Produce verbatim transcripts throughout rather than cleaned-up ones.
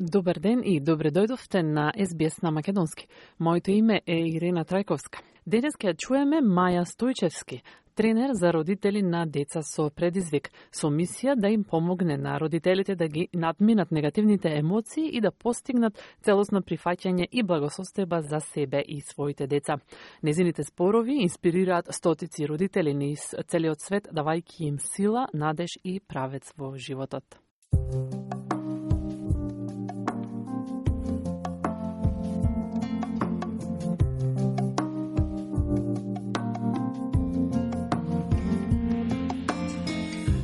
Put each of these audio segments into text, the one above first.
Добар ден и добре дојдовте на Ес Би Ес на Македонски. Моето име е Ирена Трајковска. Денес ќе чуеме Маја Стојчевски, тренер за родители на деца со предизвик, со мисија да им помогне на родителите да ги надминат негативните емоции и да постигнат целосно прифаќање и благосостојба за себе и своите деца. Незините спорови инспирираат стотици родители низ целиот свет, давајќи им сила, надеж и правец во животот.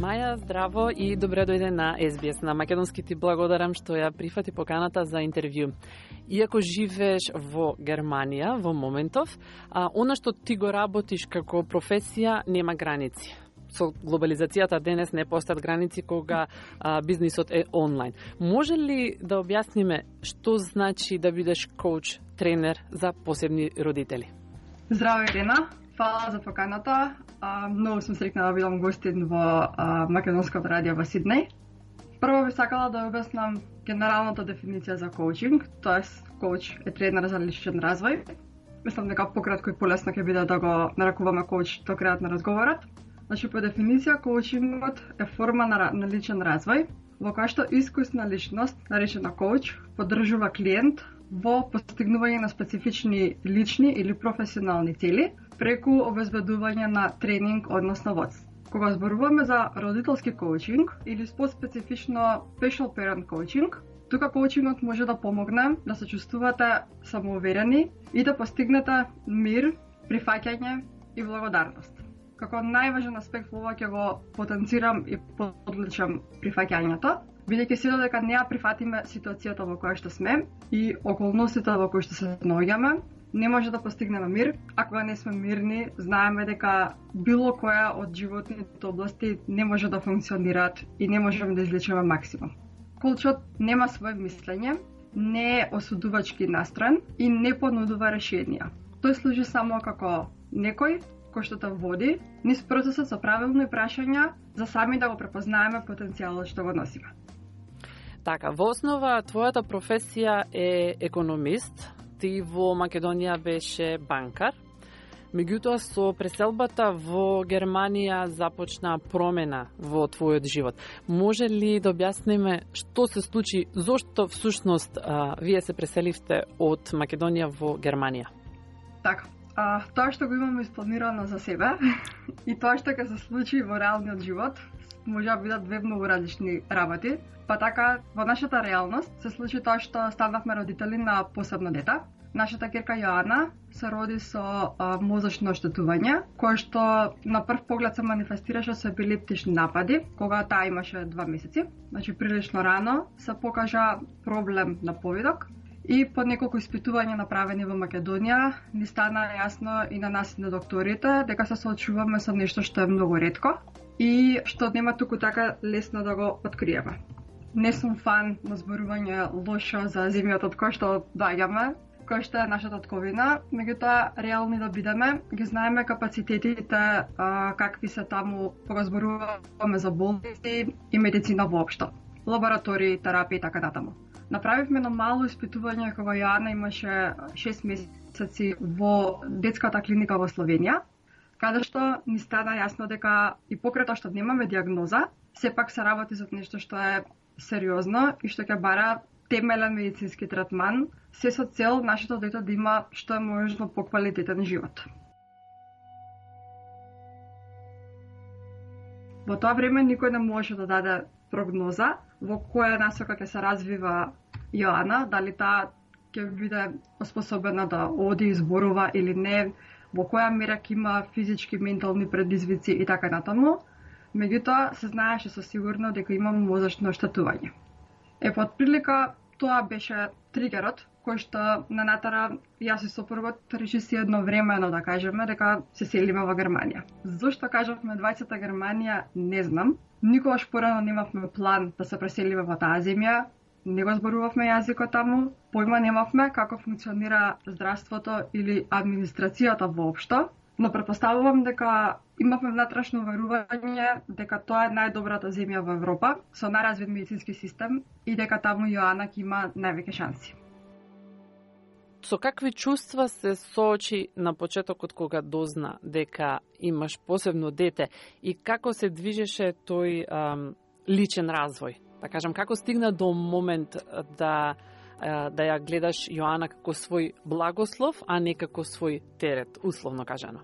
Маја, здраво и добре дојде на Ес Би Ес на Македонски. Ти благодарам што ја прифати поканата за интервју. Иако живееш во Германија во моментов, а, она што ти го работиш како професија нема граници. Со глобализацијата денес не постојат граници кога а, бизнисот е онлайн. Може ли да објасниме што значи да бидеш коуч, тренер за посебни родители? Здраво, Ирена. Фала за поканата. А, многу сум среќна да бидам гостин во а, Македонското радио во Сиднеј. Прво би сакала да објаснам генералната дефиниција за коучинг, тоест коуч е тренер за личен развој. Мислам дека пократко и полесно ќе биде да го нарекуваме коуч до крајот на разговорот. Значи, по дефиниција, коучингот е форма на, на личен развој, во која што искусна личност, наречена коуч, поддржува клиент во постигнување на специфични лични или професионални цели, преку обезбедување на тренинг, односно водство. Кога зборуваме за родителски коучинг или специфично special parent coaching, тука коучингот може да помогне да се чувствувате самоуверени и да постигнете мир, прифаќање и благодарност. Како најважен аспект во ова ќе го потенцирам и подличам прифаќањето, бидејќи се додека не ја прифатиме ситуацијата во која што сме и околностите во кои што се наоѓаме, не може да постигнеме мир. А кога не сме мирни, знаеме дека било која од животните области не може да функционираат и не можеме да извлечеме максимум. Коучот нема своје мислење, не е осудувачки настроен и не понудува решенија. Тој служи само како некој кој што те води низ процесот со правилни прашања за сами да го препознаеме потенцијалот што го носиме. Така, во основа твојата професија е економист. Ти во Македонија беше банкар. Меѓутоа, со преселбата во Германија започна промена во твојот живот. Може ли да објасниме што се случи, зошто всушност а, вие се преселивте од Македонија во Германија? Така, а, тоа што го имаме испланирано за себе и тоа што ќе се случи во реалниот живот, може да бидат две многу различни работи. Па така, во нашата реалност се случи тоа што станавме родители на посебно дете. Нашата ќерка Јоана се роди со а, мозочно оштетување, кое што на прв поглед се манифестираше со епилептични напади, кога таа имаше два месеци. Значи, прилично рано се покажа проблем на повидок и по неколку испитувања направени во Македонија ни стана јасно и на нас и на докторите дека се соочуваме со нешто што е многу ретко и што нема туку така лесно да го откриеме. Не сум фан на зборување лошо за земјата од која што доаѓаме, која што е нашата тковина, меѓутоа реални да бидеме, ги знаеме капацитетите а, какви се таму кога зборуваме за болести и медицина воопшто, лаборатории, терапии и така натаму. Направивме едно мало испитување кога Јоана имаше шест месеци во детската клиника во Словенија, каде што ни стана јасно дека и покрај тоа што немаме диагноза, сепак се работи за нешто што е сериозно и што ќе бара темелен медицински третман, се со цел нашето дете да има што е можно поквалитетен живот. Во тоа време никој не може да даде прогноза во која насока ќе се развива Јоана, дали таа ќе биде способна да оди и зборува или не, во која мера ќе има физички, ментални предизвици и така натаму. Меѓутоа, се знаеше со сигурно дека имам мозочно оштетување. Е, под прилика, тоа беше тригерот, кој што на натара јас и сопругот реши едно времено да кажеме дека се селиме во Германија. Зошто кажавме двајцата Германија, не знам. Никогаш порано немавме план да се преселиме во таа земја, не го зборувавме јазикот таму, појма немавме како функционира здравството или администрацијата воопшто. Но претпоставувам дека имавме внатрешно верување дека тоа е најдобрата земја во Европа со најразвит медицински систем и дека таму Јоана ќе има највеќе шанси. Со какви чувства се соочи на почетокот кога дозна дека имаш посебно дете и како се движеше тој ам, личен развој? Да кажам, како стигна до момент да да ја гледаш Јоана како свој благослов, а не како свој терет, условно кажано?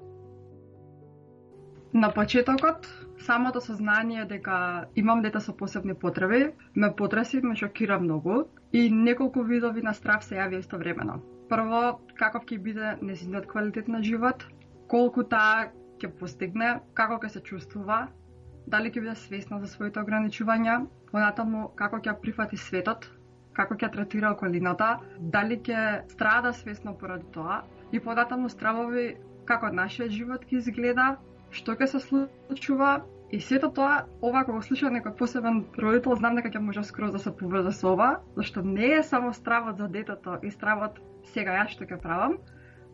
На почетокот, самото сознание дека имам дете со посебни потреби ме потреси, ме шокира многу и неколку видови на страв се јави истовремено. Прво, каков ќе биде нејзиниот квалитет на живот, колку таа ќе постигне, како ќе се чувствува, дали ќе биде свесна за своите ограничувања, понатаму како ќе прифати светот, како ќе третира околината, дали ќе страда свесно поради тоа и понатаму стравови како нашиот живот ќе изгледа, што ќе се случува и сето тоа, ова кога слушам некој посебен родител, знам дека ќе може скроз да се поврзе со ова, зашто не е само стравот за детето и стравот сега јас што ќе правам,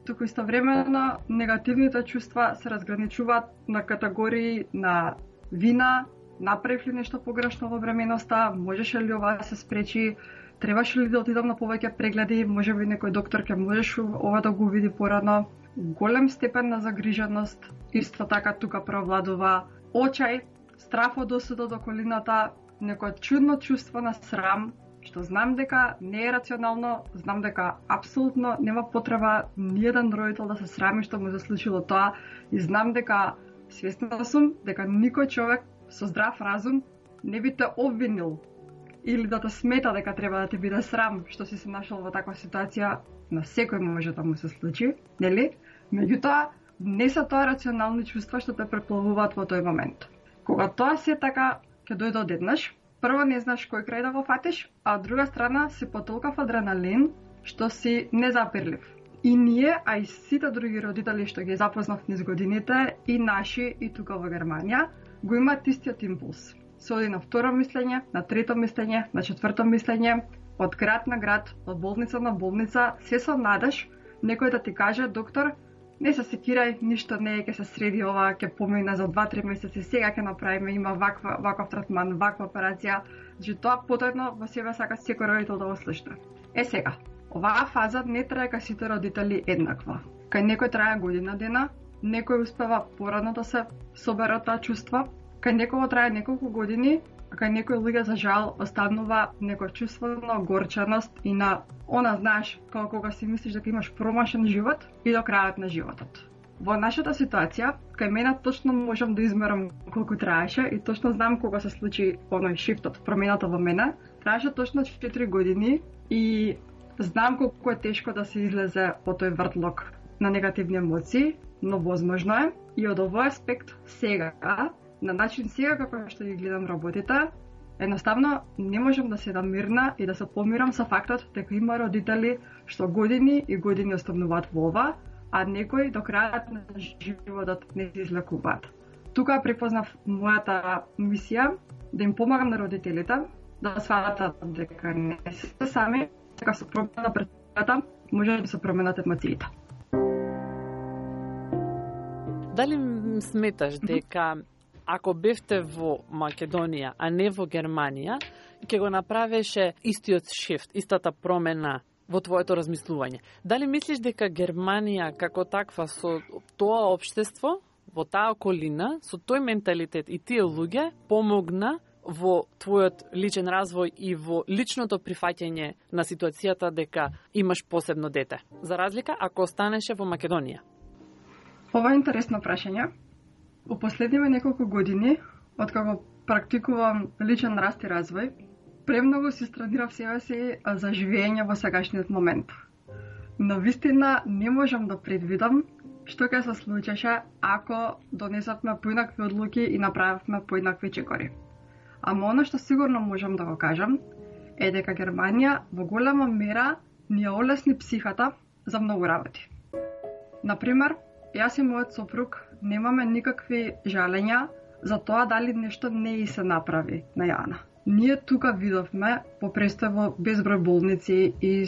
туку истовремено негативните чувства се разграничуваат на категории на вина, направив ли нешто погрешно во бременоста, можеше ли ова да се спречи, требаше ли да отидам на повеќе прегледи, може би некој доктор ќе можеш ова да го види порано. Голем степен на загриженост, исто така тука провладува очај, страф од осудот од околината, некој чудно чувство на срам, што знам дека не е рационално, знам дека апсолутно нема потреба ниеден родител да се срами што му се случило тоа и знам дека свесна сум дека никој човек со здрав разум не би те обвинил или да те смета дека треба да ти биде срам што си се нашол во таква ситуација, на секој може да му се случи, нели? Меѓутоа, не се тоа рационални чувства што те преплавуваат во тој момент. Кога тоа се така ќе дојде одеднаш, прво не знаеш кој крај да го фатиш, а од друга страна си потолкав адреналин што си незапирлив. И ние, а и сите други родители што ги запознав низ годините, и наши, и тука во Германија, го имаат истиот импулс. Се оди на второ мислење, на трето мислење, на четврто мислење, од град на град, од болница на болница, се со надеж некој да ти каже, доктор, не се секирај, ништо не е, ќе се среди ова, ќе помине за два-три месеци, сега ќе направиме, има ваква, ваков третман, ваква операција, значи тоа потојно во себе сака секој родител да го слушне. Е сега, оваа фаза не трае кај сите родители еднаква. Кај некој трае година дена, некој успева порано да се собере од таа чувства, кај некој трае неколку години, а кај некој луѓе за жал останува некој чувство на огорченост и на она, знаеш, како кога си мислиш дека имаш промашен живот и до крајот на животот. Во нашата ситуација, кај мене точно можам да измерам колку траеше и точно знам кога се случи оној шифтот, промената во мене. Траеше точно четири години и знам колку е тешко да се излезе од тој вртлок на негативни емоции, но возможно е и од овој аспект сега, на начин сега како што ги гледам работите, едноставно не можам да седам мирна и да се помирам со фактот дека има родители што години и години остануваат во ова, а некои до крајот на животот не се излекуваат. Тука препознав мојата мисија да им помагам на родителите да сватат дека не се сами, дека со промена пред може да се променат емоциите. Дали сметаш дека ако бевте во Македонија, а не во Германија, ќе го направеше истиот шифт, истата промена во твоето размислување? Дали мислиш дека Германија како таква со тоа општество, во таа околина, со тој менталитет и тие луѓе помогна во твојот личен развој и во личното прифаќање на ситуацијата дека имаш посебно дете, за разлика ако останеше во Македонија? Ова е интересно прашање. У последниве неколку години, откако практикувам личен раст и развој, премногу се странирав себе си за живење во сегашниот момент. Но вистина не можам да предвидам што ќе се случеше ако донесовме поинакви одлуки и направивме поинакви чекори. Ама оно што сигурно можам да го кажам е дека Германија во голема мера ни ја олесни психата за многу работи. Например, јас и мојот сопруг немаме никакви жалења за тоа дали нешто не и се направи на Јана. Ние тука видовме по престој во безброј болници и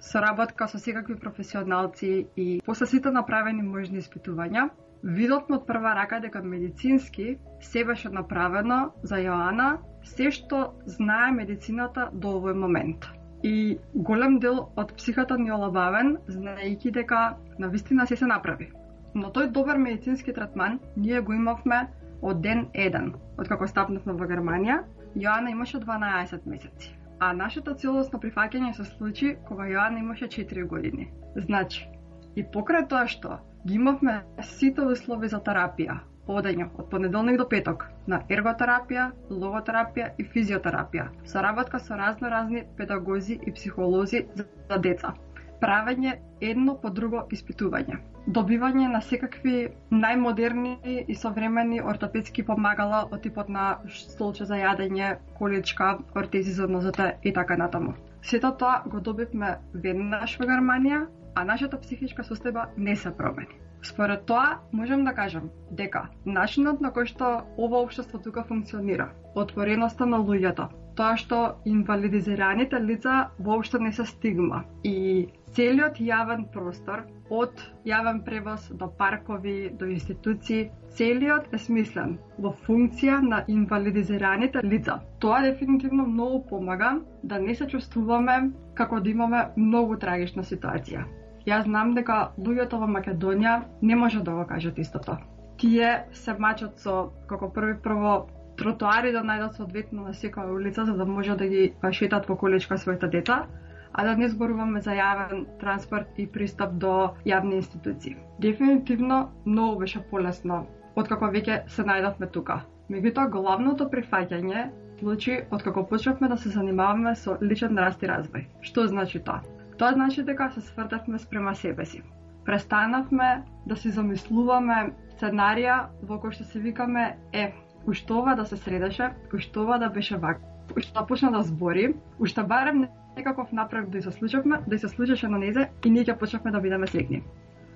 соработка со секакви професионалци и после сите направени можни испитувања, видовме од прва рака дека медицински се беше направено за Јоана се што знае медицината до овој момент. И голем дел од психата ни олабавен, знаејќи дека навистина се се направи. Но тој добар медицински третман ние го имавме од ден еден. Откако стапнавме во Германија, Јоана имаше дванаесет месеци. А нашето целосно прифаќање се случи кога Јоана имаше четири години. Значи, и покрај тоа што ги имавме сите услови за терапија, одење од понеделник до петок на ерготерапија, логотерапија и физиотерапија, соработка со разно-разни педагози и психолози за деца, правење едно по друго испитување, добивање на секакви најмодерни и современи ортопедски помагала од типот на столче за јадење, количка, ортези за нозете и така натаму. Сето тоа го добивме веднаш во Германија, а нашата психичка состојба не се промени. Според тоа, можам да кажам дека начинот на кој што ова општество тука функционира, отвореноста на луѓето, тоа што инвалидизираните лица воопшто не се стигма и целиот јавен простор, од јавен превоз до паркови, до институции, целиот е смислен во функција на инвалидизираните лица. Тоа дефинитивно многу помага да не се чувствуваме како да имаме многу трагична ситуација. Јас знам дека луѓето во Македонија не може да го кажат истото. Тие се мачат со, како први прво, тротоари да најдат соодветно на секоја улица, за да може да ги шетат во количка своите деца, а да не зборуваме за јавен транспорт и пристап до јавни институции. Дефинитивно, многу беше полесно, откако веќе се најдовме тука. Меѓутоа, главното прифаќање случи откако почнавме да се занимаваме со личен раст и развој. Што значи тоа? Тоа значи дека се свртавме спрема себе си. Престанавме да си замислуваме сценарија во кој што се викаме е, уште ова да се средеше, уште ова да беше вака, уште да почна да збори, уште барем некаков напред да се случавме, да се случеше на незе и ние ќе почнавме да бидеме среќни.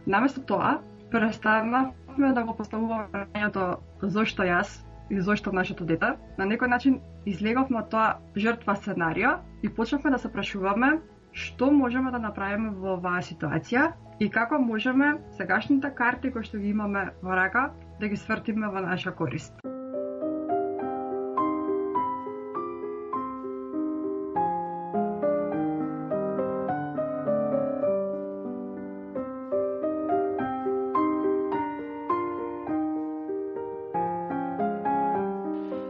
Наместо тоа, престанавме да го поставуваме прашањето зошто јас и зошто нашето дете. На некој начин излеговме од тоа жртва сценарио и почнавме да се прашуваме што можеме да направиме во оваа ситуација и како можеме сегашните карти кои што ги имаме во рака да ги свртиме во наша корист.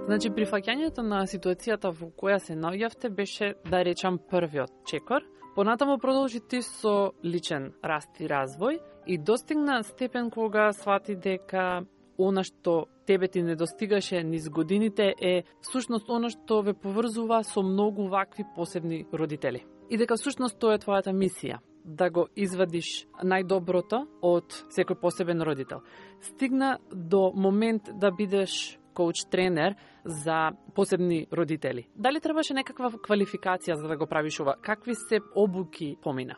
Значи, прифаќањето на ситуацијата во која се наоѓавте беше, да речам, првиот чекор. Понатаму продолжи ти со личен раст и развој и достигна степен кога свати дека она што тебе ти не достигаше низ годините е всушност она што ве поврзува со многу вакви посебни родители. И дека всушност тоа е твојата мисија, да го извадиш најдоброто од секој посебен родител. Стигна до момент да бидеш коуч-тренер за посебни родители. Дали требаше некаква квалификација за да го правиш ова? Какви се обуки помина?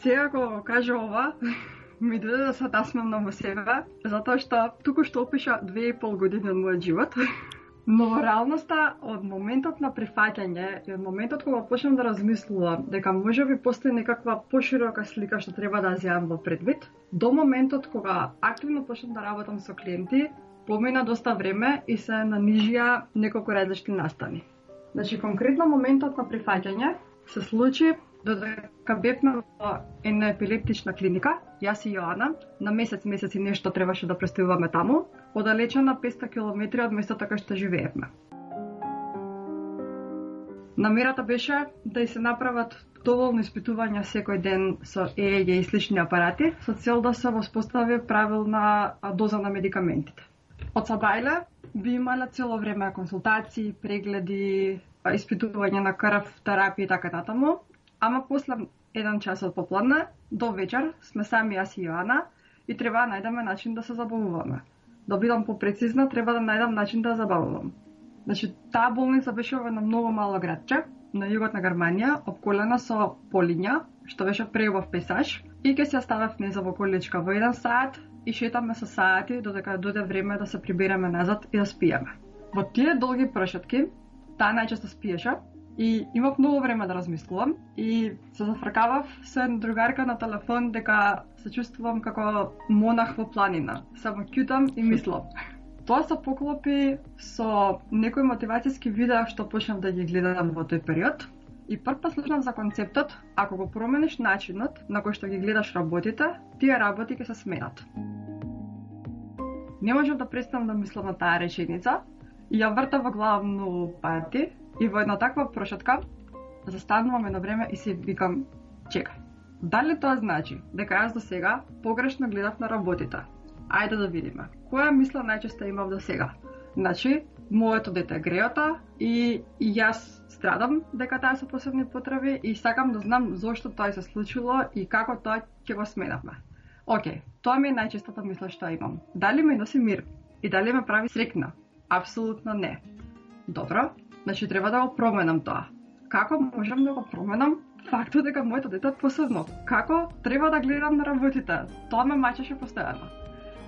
Сега кога кажа ова, ми дојде да се насмевнам во себе, затоа што туку што опиша две и пол години од мојот живот. Но во реалноста, од моментот на прифаќање и од моментот кога почнам да размислувам дека можеби постои некаква поширока слика што треба да ја земам во предвид, до моментот кога активно почнам да работам со клиенти, помина доста време и се нанижија неколку различни настани. Значи, конкретно моментот на прифаќање се случи додека бевме во една епилептична клиника, јас и Јоана, на месец, месец и нешто требаше да престојуваме таму, оддалечена петстотини километри од местото кај што живеевме. Намерата беше да и се направат доволно испитувања секој ден со Е Е Г и слични апарати, со цел да се воспостави правилна доза на медикаментите. Од Сабајле би имале цело време консултации, прегледи, испитување на крв, терапија и така натаму, ама после еден час од попладне до вечер сме сами јас и Јоана и треба да најдеме начин да се забавуваме. Да бидам попрецизна, треба да најдам начин да забавувам. Значи, таа болница беше во едно многу мало градче на југот на Германија, обколена со полиња, што беше преубав пейзаж, и ќе се ставев неза во количка во еден саат и шетаме со саати додека дојде време да се прибереме назад и да спиеме. Во тие долги прошетки, таа најчесто спиеше И имав многу време да размислувам и се зафркавав со една другарка на телефон дека се чувствувам како монах во планина. Само ќутам и мислам. Тоа се поклопи со некои мотивацијски видеа што почнав да ги гледам во тој период. И прв пат слушнав за концептот, ако го промениш начинот на кој што ги гледаш работите, тие работи ќе се сменат. Не можам да престанам да мислам на таа реченица и ја вртам во глава многу пати и во една таква прошетка застанувам едно време и си викам, чекај, дали тоа значи дека јас до сега погрешно гледав на работите? Ајде да видиме. Која мисла најчесто имав до сега? Значи, моето дете е греота и, и јас страдам дека таа се посебни потреби и сакам да знам зошто тоа се случило и како тоа ќе го сменавме. Океј, тоа ми е најчестата мисла што имам. Дали ме носи мир и дали ме прави среќна? Апсолутно не. Добро, значи треба да го променам тоа. Како можам да го променам фактот дека моето дете е посебно? Како треба да гледам на работите? Тоа ме мачеше постојано.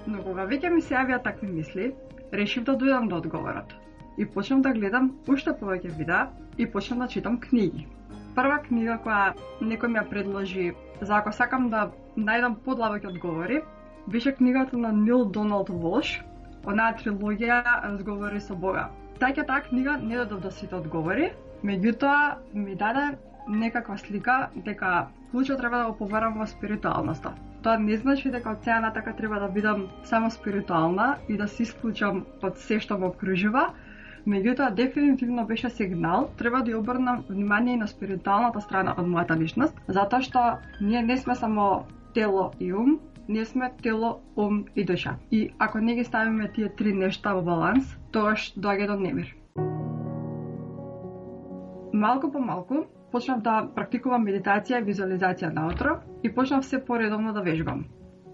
Но кога веќе ми се јавија такви мисли, решив да дојдам до одговорот. И почнав да гледам уште повеќе видеа и почнав да читам книги. Прва книга која некој ми ја предложи за ако сакам да најдам подлабоки одговори, беше книгата на Нил Доналд Волш, онаа трилогија Разговори со Бога. Таќа таа книга не дадов до сите одговори, меѓутоа ми даде некаква слика дека клучот треба да го поварам во спиритуалноста. Тоа не значи дека од сега натака треба да бидам само спиритуална и да се исклучам од се што ме окружува, меѓутоа дефинитивно беше сигнал, треба да ја обрнам внимание и на спиритуалната страна од мојата личност, затоа што ние не сме само тело и ум, ние сме тело, ум и душа. И ако не ги ставиме тие три нешта во баланс, тогаш доаѓа до немир. Малку по малку почнав да практикувам медитација и визуализација наутро и почнав се поредовно да вежбам.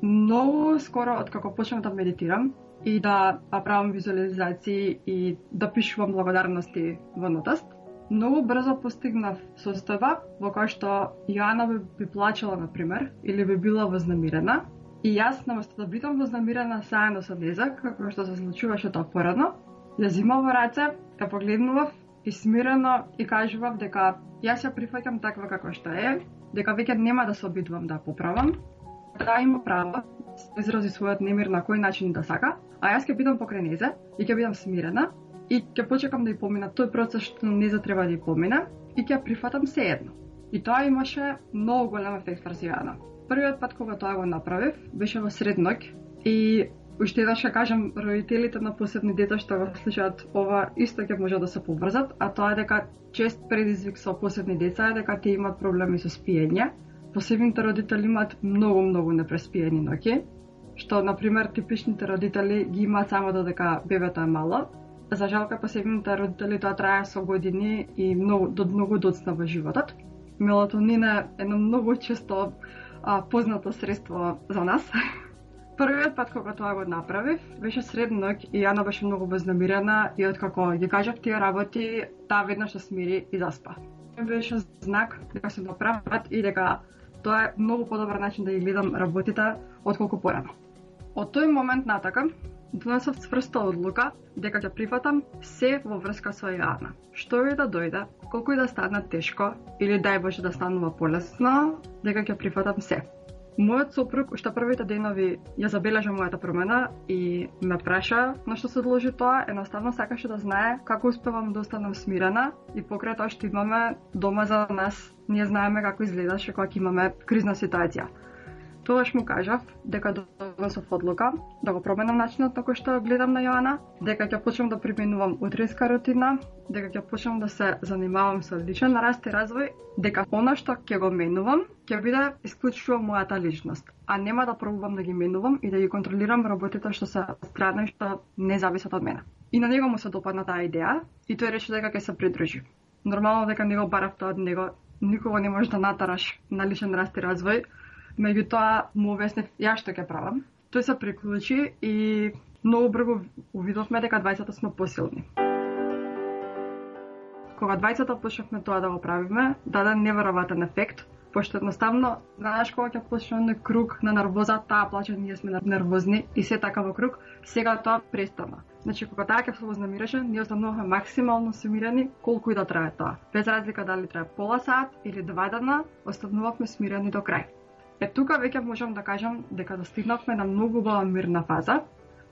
Многу скоро откако почнав да медитирам и да правам визуализации и да пишувам благодарности во нотаст, многу брзо постигнав состојба во која што Јоана би, би плачела, например, или би била вознемирена, и јас, наместо да бидам вознемирена заедно со неа, како што се случуваше тоа порано, ја зимав во раце, ја погледнував и смирено и кажував дека јас ја прифаќам таква како што е, дека веќе нема да се обидувам да поправам, да има право да изрази својот немир на кој начин да сака, а јас ќе бидам покрај незе и ќе бидам смирена и ќе почекам да ја помина тој процес што незе треба да ја помина и ќе ја прифатам сеедно. И тоа имаше многу голем ефект врз Јоана. Првиот пат кога тоа го направив беше во сред ноќ и уште еднаш ќе кажам, родителите на посебни деца што го слушаат ова исто ќе може да се поврзат, а тоа е дека чест предизвик со посебни деца е дека тие имаат проблеми со спиење. Посебните родители имаат многу многу непреспиени ноќи, што на пример типичните родители ги имаат само додека бебето е мало. За жал кај посебните родители тоа трае со години и многу до многу доцна во животот. Мелатонин е едно многу често а, познато средство за нас. Првиот пат кога тоа го направив, беше сред ноќ и Јана беше многу вознемирена и откако ги кажав тие работи, таа веднаш се смири и заспа. Беше знак дека се доправат и дека тоа е многу подобар начин да ги гледам работите отколку порано. Од тој момент натака донесов цврста одлука дека ќе прифатам се во врска со Јана. Што и да дојде, колку и да стане тешко или дај Боже да станува полесно, дека ќе прифатам се. Мојот сопруг уште првите денови ја забележа мојата промена и ме праша на што се должи тоа, едноставно сакаше да знае како успевам да останам смирена и покрај тоа што имаме дома за нас, ние знаеме како изгледаше кога имаме кризна ситуација. Тогаш му кажав дека донесов одлука да го променам начинот на кој што гледам на Јоана, дека ќе почнам да применувам утринска рутина, дека ќе почнам да се занимавам со личен раст и развој, дека она што ќе го менувам ќе биде исклучува мојата личност, а нема да пробувам да ги менувам и да ги контролирам работите што се страдни што не зависат од мене. И на него му се допадна таа идеја и тој рече дека ќе се придружи. Нормално дека не го барав тоа од него, никого не можеш да натараш на личен раст и развој. Меѓутоа му обяснив ја што ќе правам. Тој се приклучи и многу брзо увидовме дека двајцата сме посилни. Кога двајцата почнавме тоа да го правиме, даде неверојатен ефект. Пошто едноставно, знаеш кога ќе почне оној круг на нервоза, таа плаче, ние сме нервозни и се така во круг, сега тоа престана. Значи, кога таа ќе се вознемиреше, ние остануваме максимално смирени, колку и да трае тоа. Без разлика дали трае пола сат или два дена, останувавме смирени до крај. Е, тука веќе можам да кажам дека достигнавме на многу убава мирна фаза,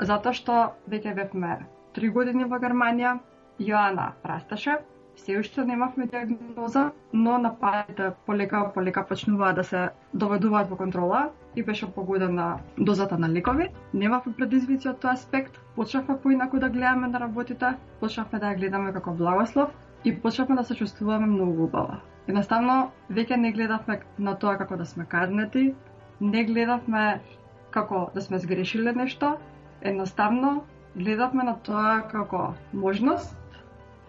затоа што веќе бевме три години во Германија, Јоана расташе, се уште немавме диагноза, но нападите полека полека почнуваа да се доведуваат во контрола и беше погодена дозата на лекови. Немавме предизвици од тој аспект, почнавме поинаку да гледаме на работите, почнавме да ја гледаме како благослов и почнавме да се чувствуваме многу убаво. Едноставно, веќе не гледавме на тоа како да сме казнети, не гледавме како да сме сгрешиле нешто, едноставно гледавме на тоа како можност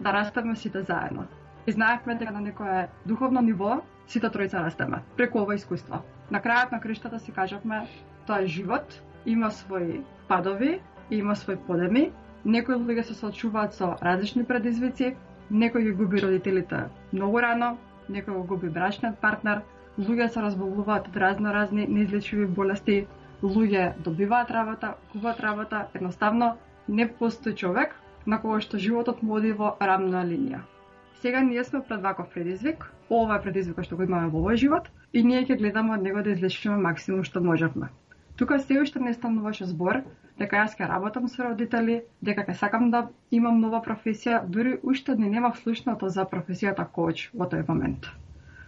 да растеме сите заедно. И знаевме дека на некое духовно ниво сите тројца растеме преку ова искуство. На крајот на криштата си кажавме, тоа е живот, има своји падови, има своји подеми, некои луѓе се соочуваат со различни предизвици, некој ги губи родителите многу рано, некој го губи брачниот партнер, луѓе се разболуваат од разно разни неизлечиви болести, луѓе добиваат работа, губат работа, едноставно не постои човек на кого што животот му оди во рамна линија. Сега ние сме пред ваков предизвик, ова е предизвик што го имаме во овој живот и ние ќе гледаме од него да излечиме максимум што можевме. Тука се уште не стануваше збор дека јас ќе работам со родители, дека ќе сакам да имам нова професија, дури уште не немав слушнато за професијата коуч во тој момент.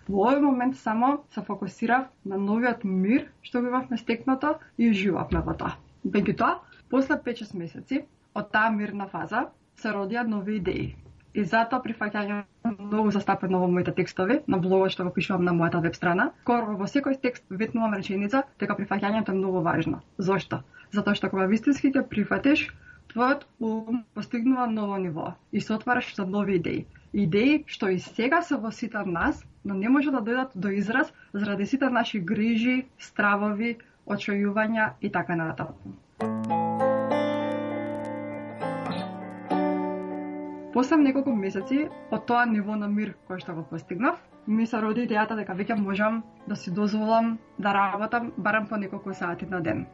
Во овој момент само се фокусирав на новиот мир што го имавме стекнато и уживавме во тоа. Меѓутоа, после пет-шест месеци од таа мирна фаза се родија нови идеи. И затоа прифаќањам многу застапено во моите текстови, на блогот што го пишувам на мојата веб страна. Скоро во секој текст ветнувам реченица дека прифаќањето е многу важно. Зошто? Затоа што кога вистински ќе прифатиш, твојот ум постигнува ново ниво и се отвараш за нови идеи. Идеи што и сега се во сите нас, но не може да дојдат до израз заради сите наши грижи, стравови, очојувања и така натаму. После неколку месеци од тоа ниво на мир кој што го постигнав, ми се роди идејата дека веќе можам да си дозволам да работам барем по неколку сати на ден.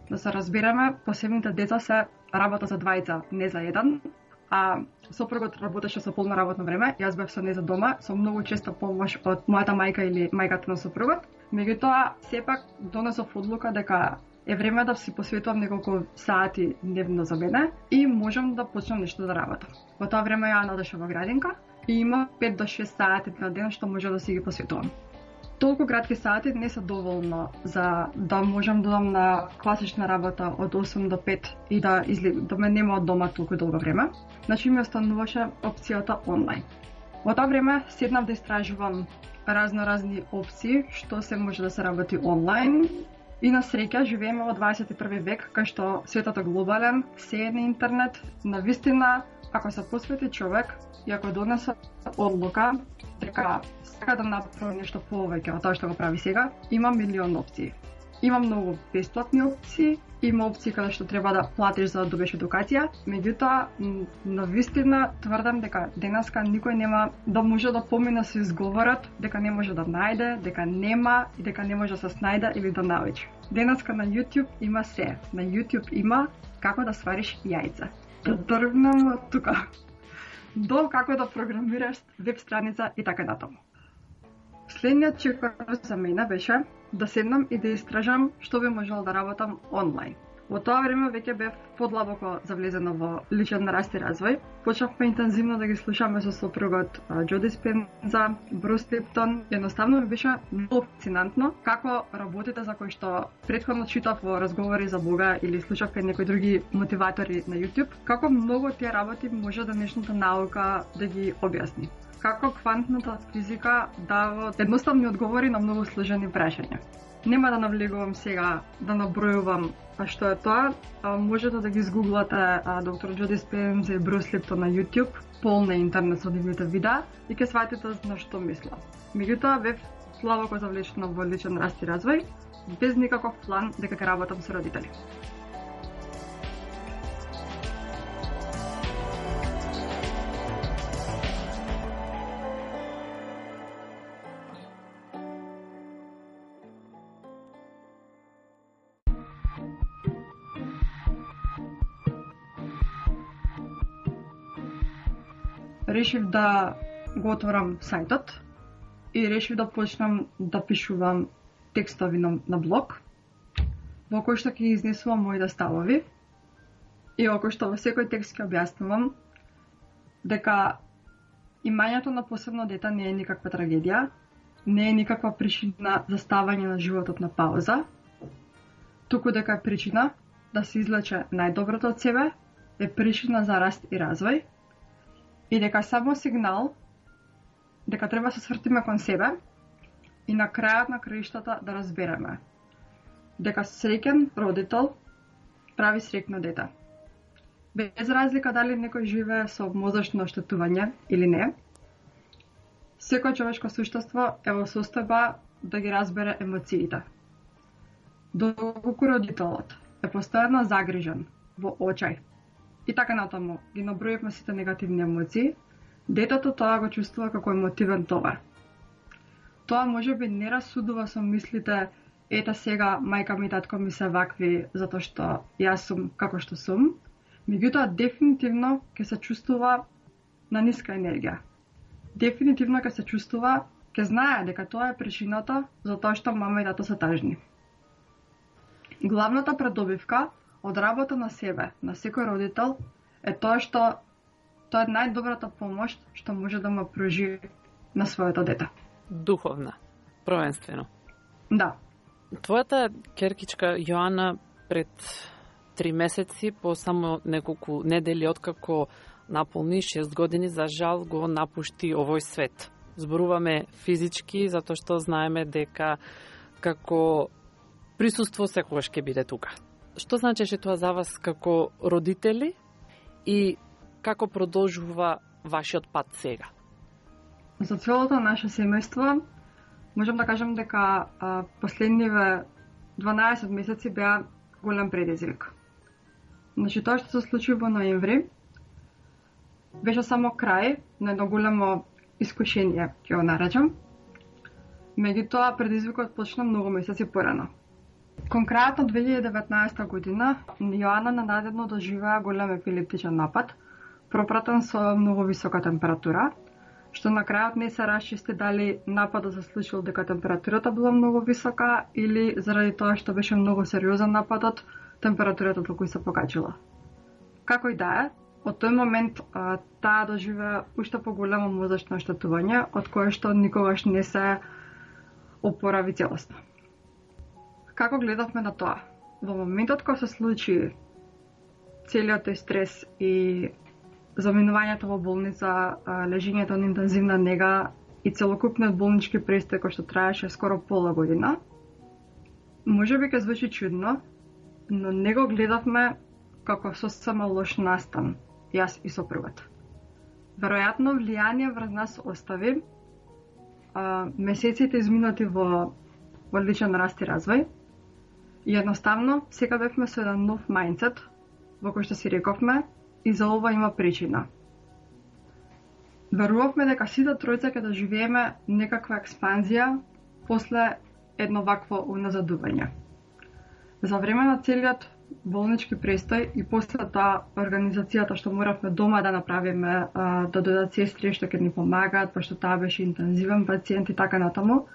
Да се разбереме, посебните деца се работа за двајца, не за еден, а сопругот работеше со полно работно време, јас бев со неа за дома, со многу често помош од мојата мајка или мајката на сопругот. Меѓутоа, сепак донесов одлука дека е време да си посветувам неколку сати дневно за мене и можам да почнам нешто да работам. Во тоа време ја одеше во градинка и има пет до шест сати на ден што може да си ги посветувам. Толку кратки сати не се доволно за да можам да додам на класична работа од осем до пет и да излегам, да ме нема од дома толку долго време. Значи ми остануваше опцијата онлайн. Во тоа време седнав да истражувам разно разни опции што се може да се работи онлайн. И на среќа живееме во дваесет и први век, кај што светот е глобален, се е на интернет. На вистина, ако се посвети човек и ако донесе одлука дека сака да направи нешто повеќе од тоа што го прави сега, има милион опции. Има многу бесплатни опции, има опции каде што треба да платиш за да добиеш едукација, меѓутоа на вистина тврдам дека денеска никој нема да може да помине со изговорот дека не може да најде, дека нема и дека не може да се снајде или да научи. Денеска на YouTube има се. На YouTube има како да свариш јајца. Да тргнем од тука до како да програмираш веб страница и така натаму. Следниот чекор за мене беше да седнам и да истражам што би можел да работам онлайн. Во тоа време веќе бев подлабоко завлезена во личен раст и развој. Почнавме интензивно да ги слушаме со сопругот Џо Диспенза, Брус Липтон. Едноставно ми беше многу фасцинантно како работите за кои што претходно читав во разговори за Бога или слушав кај некои други мотиватори на YouTube, како многу тие работи може денешната наука да ги објасни. Како квантната физика дава едноставни одговори на многу сложени прашања. Нема да навлегувам сега да набројувам а што е тоа, а, можете да ги изгуглате доктор Џо Диспенза и Брус Липтон на YouTube, полна интернет со нивните видеа и ќе сватите на што мислам. Меѓутоа бев слабоко завлечена во личен раст и развој, без никаков план дека ќе работам со родители. решив да го отворам сајтот и решив да почнам да пишувам текстови на, на блог, во кој што ќе изнесувам моите ставови и во кој што во секој текст ќе објаснувам дека имањето на посебно дете не е никаква трагедија, не е никаква причина за ставање на животот на пауза, туку дека е причина да се излече најдоброто од себе, е причина за раст и развој и дека само сигнал дека треба да се свртиме кон себе и на крајот на краиштата да разбереме дека среќен родител прави среќно дете. Без разлика дали некој живее со мозочно оштетување или не, секој човечко суштество е во состојба да ги разбере емоциите. Доколку родителот е постојано загрижен, во очај, и така натаму ги наброивме сите негативни емоции, детето тоа го чувствува како емотивен товар. Тоа можеби не расудува со мислите ета сега мајка ми и татко ми се вакви затоа што јас сум како што сум, меѓутоа дефинитивно ќе се чувствува на ниска енергија. Дефинитивно ќе се чувствува, ќе знае дека тоа е причината за тоа што мама и тато се тажни. Главната предобивка од работа на себе, на секој родител, е тоа што тоа е најдобрата помош што може да му пружи на своето дете. Духовна, провенствено. Да. Твојата ќеркичка Јоана пред три месеци, по само неколку недели откако наполни шест години, за жал го напушти овој свет. Зборуваме физички, затоа што знаеме дека како присуство секогаш ќе биде тука. Што значеше тоа за вас како родители и како продолжува вашиот пат сега? За целото наше семејство можам да кажам дека а, последниве дванаесет месеци беа голем предизвик. Значи тоа што се случи во ноември беше само крај на едно големо искушение, ќе го наречам. Меѓутоа предизвикот почна многу месеци порано. Кон крајот на две илјади и деветнаесета година Јоана ненадедно доживеа голем епилептичен напад, пропратен со многу висока температура, што на крајот не се расчисти дали нападот се случил дека температурата била многу висока или заради тоа што беше многу сериозен нападот, температурата толку се покачила. Како и да е, од тој момент а, таа доживеа уште поголемо мозочно оштетување, од кое што никогаш не се опорави целосно. Како гледавме на тоа? Во моментот кога се случи целиот тој стрес и заминувањето во болница, лежењето на интензивна нега и целокупниот болнички престој кој што траеше скоро пола година, можеби ќе звучи чудно, но не го гледавме како сосема лош настан, јас и сопругот. Веројатно влијание врз нас остави а, месеците изминати во одличен раст и развој. И едноставно, сега бевме со еден нов мајндсет, во кој што си рековме, и за ова има причина. Верувавме дека сите тројца ќе доживееме некаква експанзија после едно вакво уназадување. За време на целиот болнички престој и после тоа организацијата што моравме дома да направиме, да додадат сестри што ќе ни помагаат, пошто таа беше интензивен пациент и така натаму,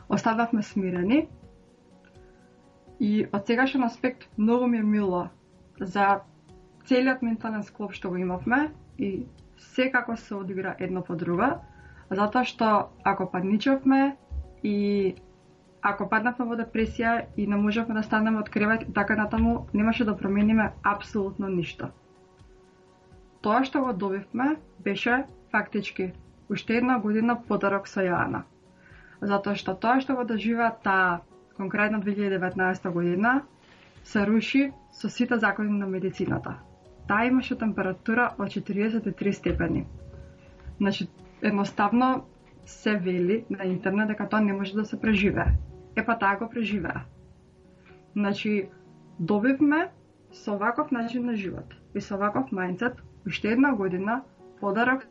остававме смирени. И од сегашен аспект многу ми е мило за целиот ментален склоп што го имавме и секако се одигра едно по друго, затоа што ако падничавме и ако паднавме во депресија и не можевме да станеме од кревет и така натаму, немаше да промениме апсолутно ништо. Тоа што го добивме беше фактички уште една година подарок со Јоана. Затоа што тоа што го доживеа таа конкретно две илјади и деветнаесета година се руши со сите закони на медицината. Таа имаше температура од четириесет и три степени. Значи, едноставно се вели на интернет дека тоа не може да се преживее. Епа таа го преживеа. Значи, добивме со ваков начин на живот и со ваков мајндсет уште една година подарок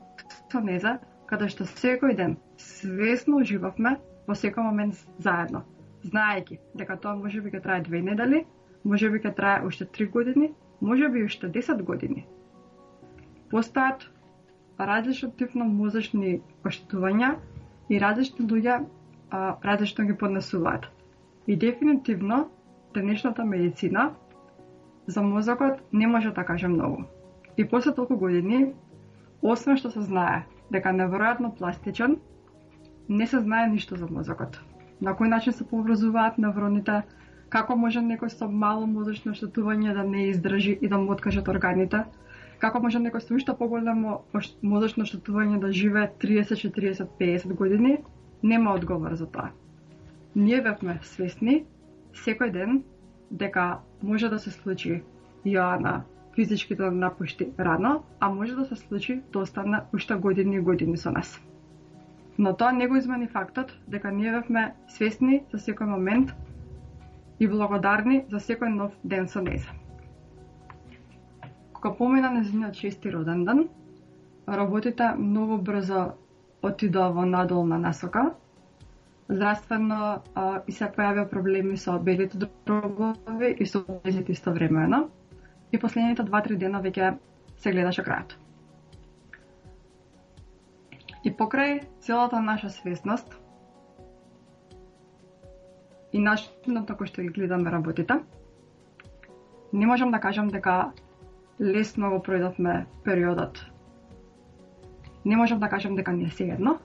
со неза, каде што секој ден свесно уживавме во секој момент заедно, знаејќи дека тоа можеби ќе трае две недели, можеби ќе трае уште три години, можеби уште десет години. Постојат различен тип на мозочни оштетувања и различни луѓе а, различно ги поднесуваат. И дефинитивно денешната медицина за мозокот не може да каже многу. И после толку години, освен што се знае дека неверојатно пластичен, не се знае ништо за мозокот. На кој начин се пообразуваат невроните, како може некој со мало мозочно оштетување да не издржи и да му откажат органите, како може некој со уште поголемо мозочно оштетување да живее триесет, четириесет, педесет години, нема одговор за тоа. Ние бевме свесни секој ден дека може да се случи Јоана физички да напушти рано, а може да се случи да остане уште години и години со нас. Но тоа не го измени фактот дека ние бевме свесни за секој момент и благодарни за секој нов ден со нејза. Кога помина нејзиниот шести роден ден, работите многу брзо отидоа во надолна насока. Здравствено а, и се појавија проблеми со белите дробови и со белите истовремено. И последните два-три дена веќе се гледаше крајот. И покрај целата наша свесност и начинот на кој што ги гледаме работите, не можам да кажам дека лесно го пројдовме периодот. Не можам да кажам дека не е сеедно,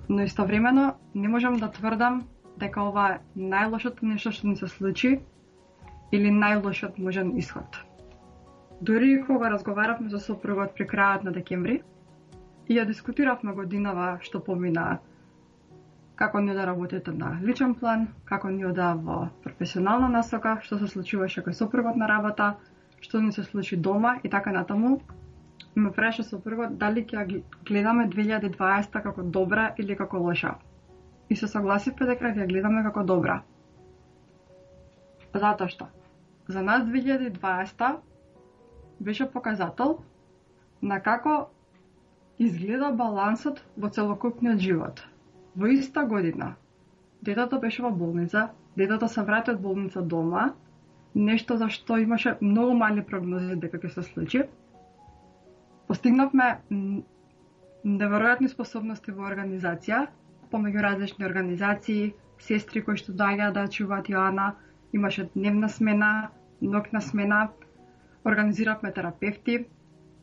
но истовремено не можам да тврдам дека ова е најлошото нешто што ни се случи или најлошиот можен исход. Дори кога разговаравме со сопругот при крајот на декември и ја дискутиравме годинава што помина, како ни ода работите на личен план, како ни ода во професионална насока, што се случуваше кај сопругот на работа, што ни се случи дома и така натаму, ме праша сопругот дали ќе ја гледаме две илјади и дваесета како добра или како лоша. И се согласивме дека ќе ја гледаме како добра. Затоа што за нас две илјади и дваесета беше показател на како изгледа балансот во целокупниот живот. Во иста година детето беше во болница, детето се врати од болница дома, нешто за што имаше многу мали прогнози дека ќе се случи. Постигнавме неверојатни способности во организација, помеѓу различни организации, сестри кои што доаѓаат да чуваат Јоана, имаше дневна смена, ноќна смена, организиравме терапевти,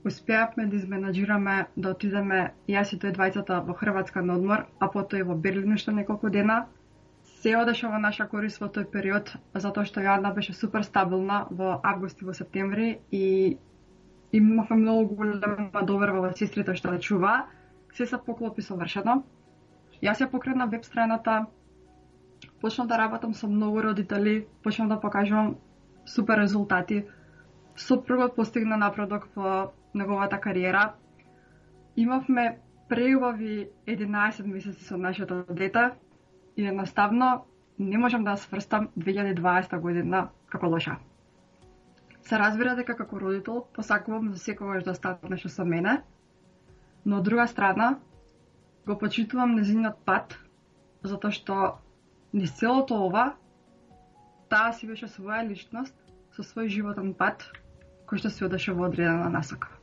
успеавме да изменаџираме да отидеме јас и тој двајцата во Хрватска на одмор, а потоа и во Берлин уште неколку дена. Се одеше во наша корист во тој период, затоа што Јоана беше супер стабилна во август и во септември и имавме многу голема доверба во сестрите што да чува. Се се поклопи совршено. Јас ја покрена веб страната, почнав да работам со многу родители, почнав да покажувам супер резултати. Сопругот постигна напредок во неговата кариера. Имавме преубави единаесет месеци со нашето дете и едноставно не можам да сврстам две илјади и дваесета година како лоша. Се разбира дека како родител посакувам за секогаш да остане што со мене, но од друга страна го почитувам нејзиниот пат, затоа што низ целото ова таа си беше своја личност со свој животен пат кој што се одеше во одредена насока.